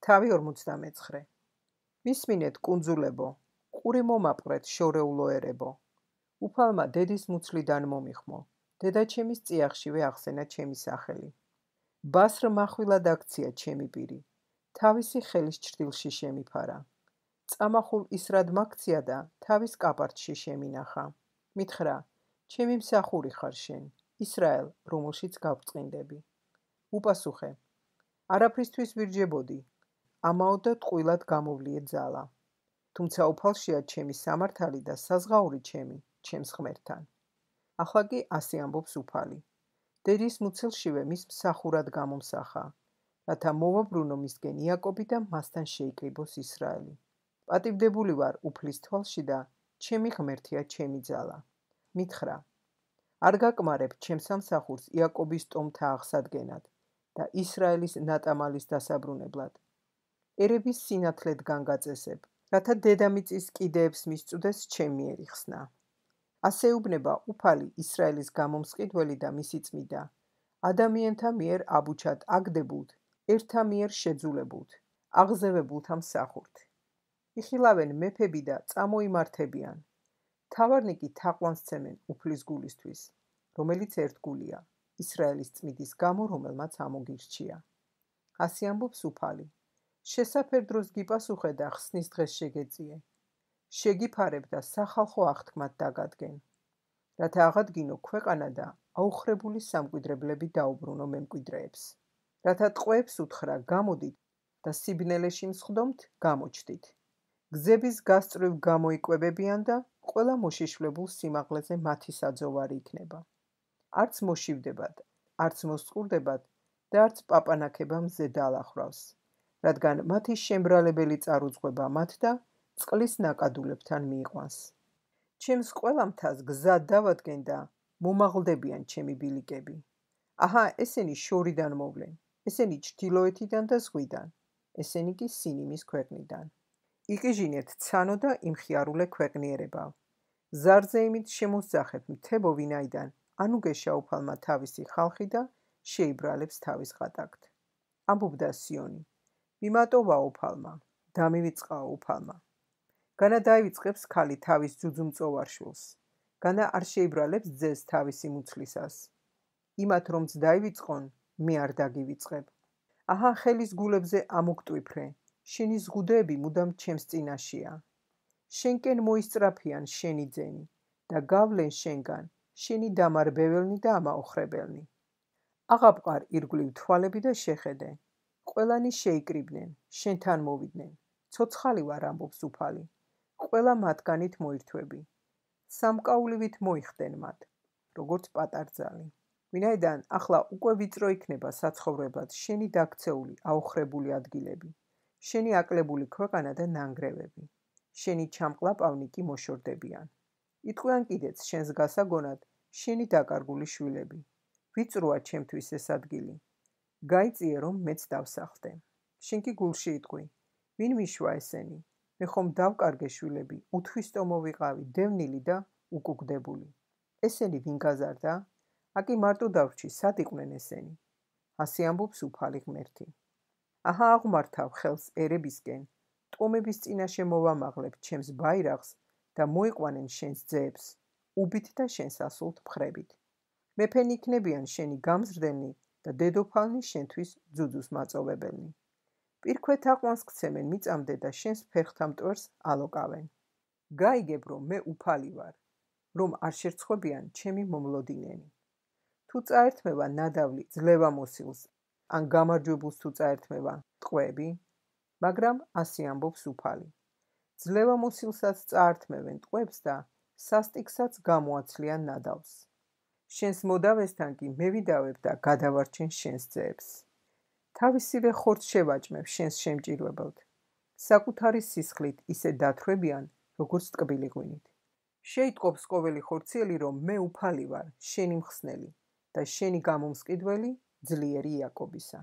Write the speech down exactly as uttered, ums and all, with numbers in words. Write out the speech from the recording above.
თავი ორმოცდამეცხრე. მისმინეთ კუნძულებო, ყური მომაპყრეთ შორეულო ერებო. უფალმა დედის მუცლიდან მომიხმო, დედაჩემის წიაღშივე ახსენა ჩემი სახელი. ბასრ מחვილად აქცია ჩემი პირი, თავისი ხელის ჩრდილში შემიფარა. წამახულ ისრად მაქცია და თავის კაპარტში შემინახა. მითხრა, ჩემი მსახური ხარ შენ, ისრაელ, რომელშიც გავწყინდები. უპასუხე, არაფრისთვის ვირჯებოდი, ამაო და ტყუილად გამოვლიე ძალა. თუმცა უფალშია ჩემი სამართალი და საზღაური ჩემი, ჩემს ღმერთთან. ახლა კი ასე ამბობს უფალი. დედის მუცელშივე მის მსახურად გამომსახა, რათა მოვაბრუნო მისგენ იაკობი და მასთან შეიკრიბოს ისრაელი. პატივდებული ვარ უფლის თვალში და ჩემი ღმერთია ჩემი ძალა. მითხრა, არ გაკმარებ ჩემს სამსახურს იაკობის ტომთა აღსადგენად და ისრაელის ნატამალის დასაბრუნებლად. ერების სინათლედ განგაწესებ, რათა დედამიწის კიდეებს მისწუდეს ჩემ მიერ იხსნა. ასე უბნება უფალი ისრაელის გამომსყიდველი და მისი წმიდა, ადამიანთა მიერ აბუჩად აგდებულთ, ერთა მიერ შეძულებულთ, აღზევებულთა მსახურთ. იხილავენ მეფები და წამოიმართებიან. თავარნი კი თაყვანს ცემენ უფლის გულისთვის, რომელიც ერთგულია, ისრაელის წმიდის გამო, რომელმაც ამოგირჩია. ასე ამბობს უფალი. შესაფერ დროს გიპასუხე და ხსნის დღეს შეგეწიე. შეგიფარებ და სახალხო აღთქმად დაგადგენ. რათა აღადგინო ქვეყანა და აუხრებული სამკვიდრებლები დაუბრუნო მემკვიდრეებს. რათა ტყვეებს უთხრა გამოდით და სიბნელეში მსხდომთ გამოჩდით. გზების გასწვრივ გამოიკვებებიან და ყველა მოშიშვლებულ სიმაღლეზე მათი საძოვარი იქნება. არც მოშივდებათ, არც მოსწყურდებათ და არც პაპანაქება მზე დაალახრავს, რადგან მათი შემბრალებელი წარუძღვება მათ და წყლის ნაკადულებთან მიიყვანს. ჩემს ყველა მთას გზად დავადგენ და მომაღლდებიან ჩემი ბილიკები. აჰა, ესენი შორიდან მოვლენ, ესენი ჩრდილოეთიდან და ზღვიდან, ესენი კი სინიმის ქვეყნიდან. იყიჟინეთ ცანო და იმხიარულე ქვეყნიერებავ. ზარზე იმით შემოსძახებ მთებო ვინაიდან, ანუგეშა უფალმა თავისი ხალხი და შეიბრალებს თავის ღატაკთ. ამბობდა სიონი, მიმატოვა უფალმა, დამივიწყაო უფალმა. განა დაივიწყებს ქალი თავის ძუძუმწოვარ შვილს, განა არ შეიბრალებს ძეს თავისი მუცლისას. იმათ რომც დაივიწყონ, მე არ დაგივიწყებ. აჰა, ხელის გულებზე ამოგტვიფრე, შენი ზღუდეები მუდამ ჩემს წინაშია. შენკენ მოისწრაფიან შენი ძენი და გავლენ შენგან შენი დამარბებელნი და ამაოხრებელნი. აღაპყარ ირგვლივ თვალები და შეხედე. ყველანი შეიკრიბნენ, შენთან მოვიდნენ. ცოცხალი ვარ ამბობს უფალი. ყველა მათგანით მოირთვები. სამკაულივით მოიხდენ მათ, როგორც პატარძალი. ვინაიდან ახლა უკვე ვიწრო იქნება საცხოვრებლად შენი დაქცეული აოხრებული ადგილები, შენი აკლებული ქვეყანა და ნანგრევები. შენი ჩამყლაპავნი კი მოშორდებიან. იტყვიან კიდეც შენს გასაგონად შენი დაკარგული შვილები. ვიწროა ჩემთვის ეს ადგილი. გაიწიე რომ მეც დავსახლდე. შენ კი გულში იტყვი, ვინ მიშვა ესენი? მე ხომ დავკარგე შვილები, უთვისტომო ვიყავი, დევნილი და უკუგდებული. ესენი ვინ გაზარდა? აკი მარტო დავრჩი, სად იყვნენ ესენი? ასე ამბობს უფალი ღმერთი. აჰა, აღმართავ ხელს ერებისკენ, ტომების წინაშე მოვამაღლებ ჩემს ბაირაღს და მოიყვანენ შენს ძეებს, უბით და შენს ასულთ მხრებით. მეფენი იქნებიან შენი გამზრდელნი და დედოფალნი შენთვის ძუძუს მაწოვებელნი. პირქვეთ აყვანს გცემენ მიწამდე და შენს ფერხთა მტვერს ალოკავენ. გაიგებ რომ მე უფალი ვარ, რომ არ შერცხვებიან ჩემი მომლოდინენი. თუ წაერთმევა ნადავლი ძლევამოსილს, ან გამარჯვებულს თუ წაერთმევა ტყვეები, მაგრამ ასე ამბობს უფალი. ძლევამოსილსაც წაართმევენ ტყვეებს და სასტიკსაც გამოაცლიან ნადავლს. შენს მოდავესთან კი მე ვიდავებ და გადავარჩენ შენს ძეებს. თავისივე ხორცს შევაჭმებ შენს შემჭირვებელთ. საკუთარი სისხლით ისე დათვრებიან, როგორც ტკბილი ღვინით. შეიტყობს ყოველი ხორციელი, რომ მე უფალი ვარ, შენი მხსნელი და შენი გამომსყიდველი, ძლიერი იაკობისა.